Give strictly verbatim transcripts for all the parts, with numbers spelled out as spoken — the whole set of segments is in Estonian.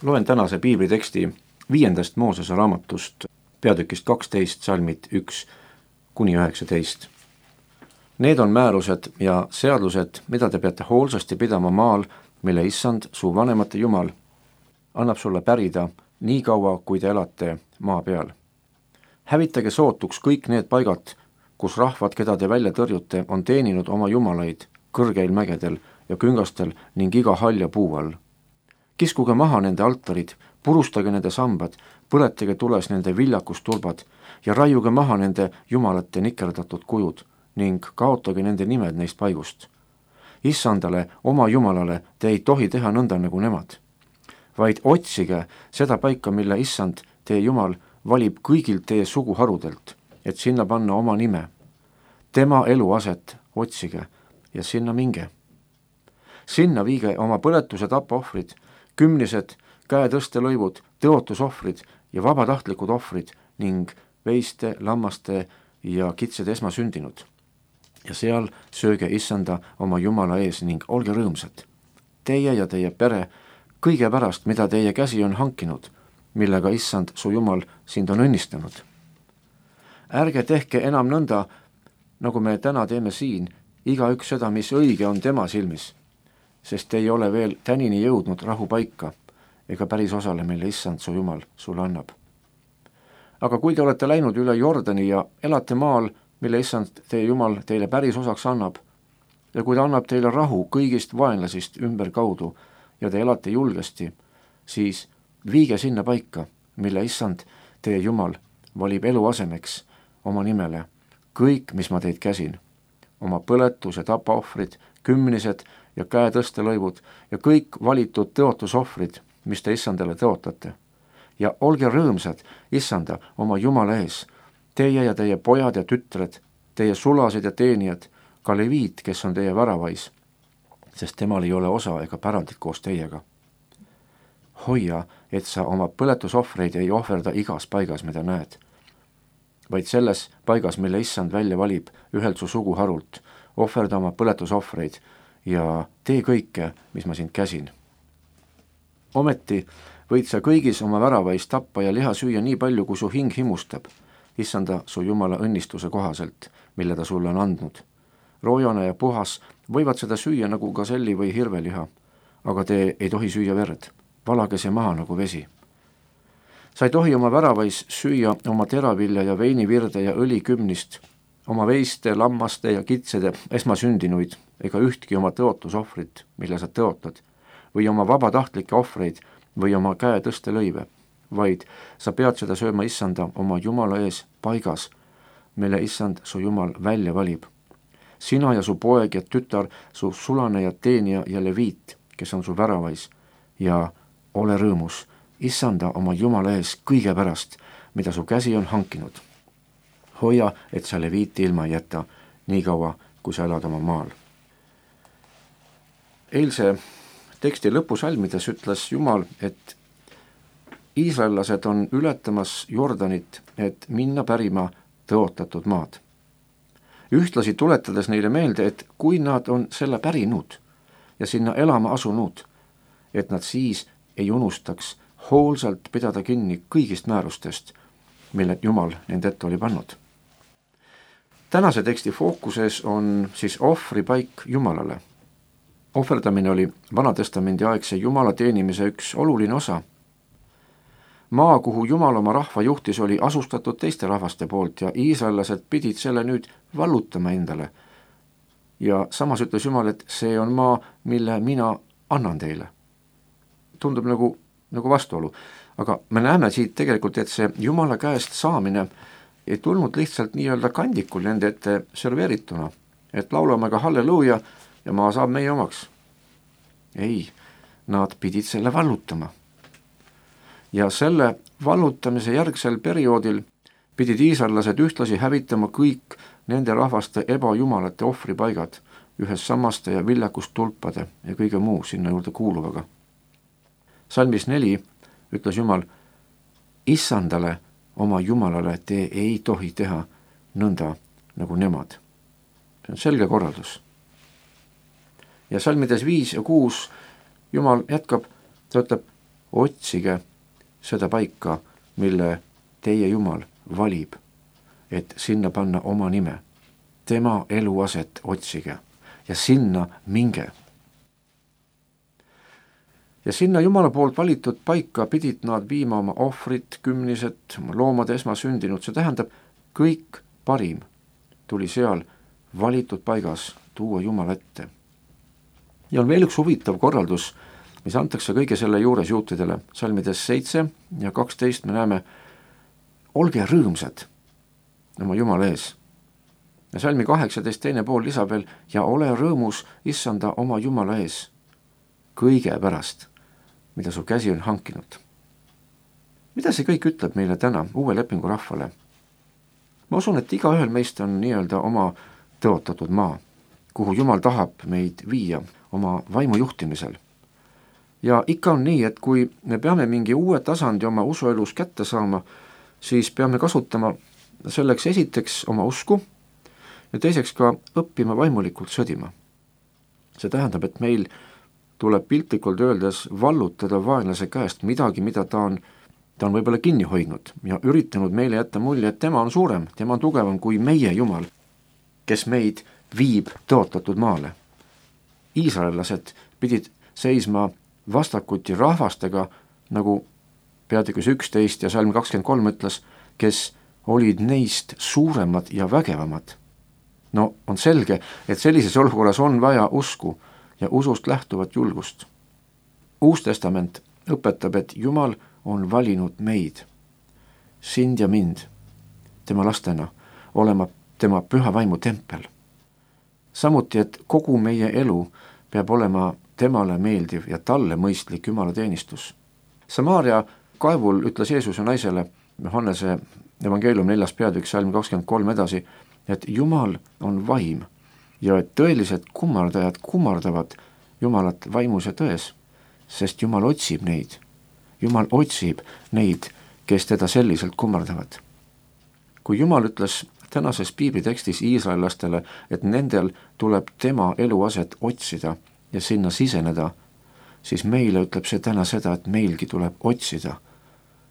Loen tänase piibliteksti viiendast Moosese raamatust, peatükist kaksteist, salmid üks kuni üheksateist. Need on määrused ja seadused, mida te peate hoolsasti pidama maal, mille issand, su vanemate Jumal, annab sulle pärida nii kaua, kui te elate maa peal. Hävitage sootuks kõik need paigad, kus rahvad, keda te välja tõrjute, on teeninud oma jumalaid kõrgeil mägedel ja küngastel ning iga halja puu all. Kiskuge maha nende altarid, purustage nende sambad, põletage tules nende viljakustulbad ja raiuge maha nende jumalate nikerdatud kujud ning kaotage nende nimed neist paigust. Issandale, oma jumalale, te ei tohi teha nõnda nagu nemad, vaid otsige seda paika, mille issand, teie jumal, valib kõigilt teie suguharudelt, et sinna panna oma nime. Tema eluaset otsige ja sinna minge. Sinna viige oma põletuse tapaohvrid, kümnised, käetõstelõivud, tõotusohvrid ja vabatahtlikud ohvrid ning veiste, lammaste ja kitsed esmasündinud. Ja seal sööge issanda oma Jumala ees ning olge rõõmsad. Teie ja teie pere kõige pärast, mida teie käsi on hankinud, millega issand, su Jumal, sind on õnnistanud. Ärge tehke enam nõnda, nagu me täna teeme siin, igaüks seda, mis õige on tema silmis, sest ei ole veel tänini jõudnud rahupaika ega päris osale, mille issand, su Jumal, sulle annab. Aga kui te olete läinud üle Jordani ja elate maal, mille issand, teie Jumal, teile päris osaks annab, ja kui ta annab teile rahu kõigist vaenlasist ümber kaudu ja te elate julgesti, siis viige sinna paika, mille issand, teie Jumal, valib eluasemeks oma nimele kõik, mis ma teid käsin, oma põletus- ja tapaohvrid, kümnised ja käetõstelõivud ja kõik valitud tõotusohvrid, mis te issandale tõotate. Ja olge rõõmsad issanda oma Jumala ees, teie ja teie pojad ja tütred, teie sulased ja teenijad, ka leviit, kes on teie väravais, sest temal ei ole osa ega pärandit koos teiega. Hoia, et sa oma põletusohvreid ei ohverda igas paigas, mida näed, vaid selles paigas, mille issand välja valib ühelt su suguharult, ohverda oma põletusohvreid ja tee kõike, mis ma sind käsin. Ometi võid sa kõigis oma väravais tappa ja liha süüa nii palju, kui su hing himustab, issanda su Jumala õnnistuse kohaselt, mille ta sulle on andnud. Roojane ja puhas võivad seda süüa nagu gaselli või hirveliha, aga te ei tohi süüa verd, valage see maha nagu vesi. Sa ei tohi oma väravais süüa oma teravilja ja veinivirde ja õlikümnist, oma veiste, lammaste ja kitsede esmasündinuid ega ühtki oma tõotusohvrit, mille sa tõotad, või oma vabatahtlikke ohvreid või oma käetõstelõive, vaid sa pead seda sööma issanda oma Jumala ees paigas, mille issand su Jumal välja valib. Sina ja su poeg ja tütar, su sulane ja teenija ja leviit, kes on su väravais, ja ole rõõmus issanda oma Jumala ees kõige pärast, mida su käsi on hankinud. Hoia, et sa leviiti ilma ei jäta, nii kaua, kui sa elad oma maal. Eilse teksti lõpusalmides ütles Jumal, et iisraellased on ületamas Jordanit, et minna pärima tõotatud maad. Ühtlasi tuletades neile meelde, et kui nad on selle pärinud ja sinna elama asunud, et nad siis ei unustaks hoolsalt pidada kinni kõigist määrustest, mille Jumal nende ette oli pannud. Tänase teksti fookuses on siis ohvripaik Jumalale. Ohverdamine oli Vanatestamendi aegse Jumala teenimise üks oluline osa. Maa, kuhu Jumal oma rahva juhtis, oli asustatud teiste rahvaste poolt ja iisraellased pidid selle nüüd vallutama endale. Ja samas ütles Jumal, et see on maa, mille mina annan teile. Tundub nagu, nagu vastuolu, aga me näeme siit tegelikult, et see Jumala käest saamine ei tulnud lihtsalt nii-öelda kandikul nende ette serveerituna, et laulame ka halleluuja ja maa saab meie omaks. Ei, nad pidid selle vallutama. Ja selle vallutamise järgsel perioodil pidid iisraellased ühtlasi hävitama kõik nende rahvaste ebajumalate ohvripaigad ühes sammaste ja viljakustulpade ja kõige muu sinna juurde kuuluvaga. Salmis neli ütles Jumal, issandale oma Jumalale te ei tohi teha nõnda nagu nemad. See on selge korraldus. Ja salmides viis ja kuus Jumal jätkab, ta ütleb, otsige seda paika, mille teie Jumal valib, et sinna panna oma nime. Tema eluaset otsige ja sinna minge. Ja sinna Jumala poolt valitud paika pidid nad viima oma ohvrit, kümnised, oma loomade esmasündinud, see tähendab, kõik parim tuli seal valitud paigas tuua Jumala ette. Ja on veel üks huvitav korraldus, mis antakse kõige selle juures juutidele. Salmides seitse ja kaksteist me näeme, olge rõõmsad oma Jumala ees. Ja salmi kaheksateist teine pool lisab veel, ja ole rõõmus issanda oma Jumala ees kõige pärast, mida su käsi on hankinud. Mida see kõik ütleb meile täna, uue lepingu rahvale? Ma usun, et igaühel meist on nii-öelda oma tõotatud maa, kuhu Jumal tahab meid viia oma vaimu juhtimisel. Ja ikka on nii, et kui me peame mingi uue tasandi oma usuelus kätte saama, siis peame kasutama selleks esiteks oma usku ja teiseks ka õppima vaimulikult sõdima. See tähendab, et meil tuleb piltlikult öeldes vallutada vaenlase käest midagi, mida ta on, ta on võib-olla kinni hoidnud ja üritanud meile jätta mulje, et tema on suurem, tema on tugevam kui meie Jumal, kes meid viib tõotatud maale. Iisraellased pidid seisma vastakuti rahvastega, nagu peatükis üksteist ja salm kakskümmend kolm ütles, kes olid neist suuremad ja vägevamad. No on selge, et sellises olukorras on vaja usku ja usust lähtuvat julgust. Uus testament õpetab, et Jumal on valinud meid, sind ja mind, tema lastena, olema tema püha vaimu tempel. Samuti, et kogu meie elu peab olema temale meeldiv ja talle mõistlik Jumala teenistus. Samaaria kaevul ütles Jeesuse naisele, Johannese evangeelium neljas peatükk salm kakskümmend kolm edasi, et Jumal on vaim ja et tõelised kummardajad kummardavad Jumalat vaimus ja tões, sest Jumal otsib neid. Jumal otsib neid, kes teda selliselt kummardavad. Kui Jumal ütles tänases piiblitekstis iisraellastele, et nendel tuleb tema eluaset otsida ja sinna siseneda, siis meile ütleb see täna seda, et meilgi tuleb otsida.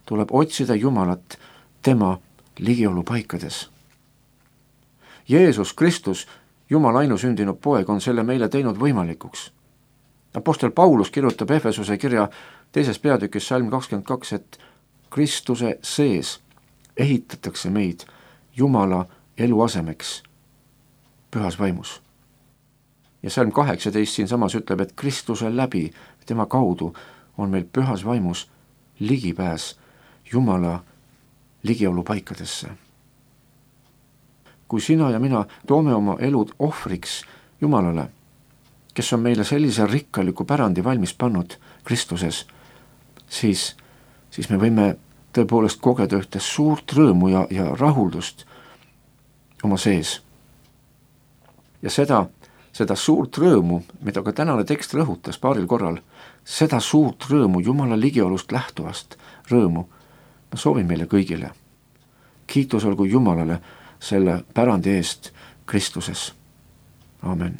Tuleb otsida Jumalat tema ligiolu paikades. Jeesus Kristus, Jumala ainusündinud poeg, on selle meile teinud võimalikuks. Apostel Paulus kirjutab Efesuse kirja teises peatükis salm kakskümmend kaks, et Kristuse sees ehitatakse meid Jumala eluasemeks pühas vaimus. Ja salm kaheksateist siin samas ütleb, et Kristuse läbi, tema kaudu on meil pühas vaimus ligipääs Jumala ligiolu paikadesse. Kui sina ja mina toome oma elud ohvriks Jumalale, kes on meile sellise rikkaliku pärandi valmis pannud Kristuses, siis, siis me võime tõepoolest kogeda ühte suurt rõõmu ja, ja rahuldust oma sees. Ja seda, seda suurt rõõmu, mida ka tänane tekst rõhutas paaril korral, seda suurt rõõmu Jumala ligiolust lähtuvast rõõmu ma soovin meile kõigile. Kiitus olgu Jumalale selle pärandi eest Kristuses. Amen.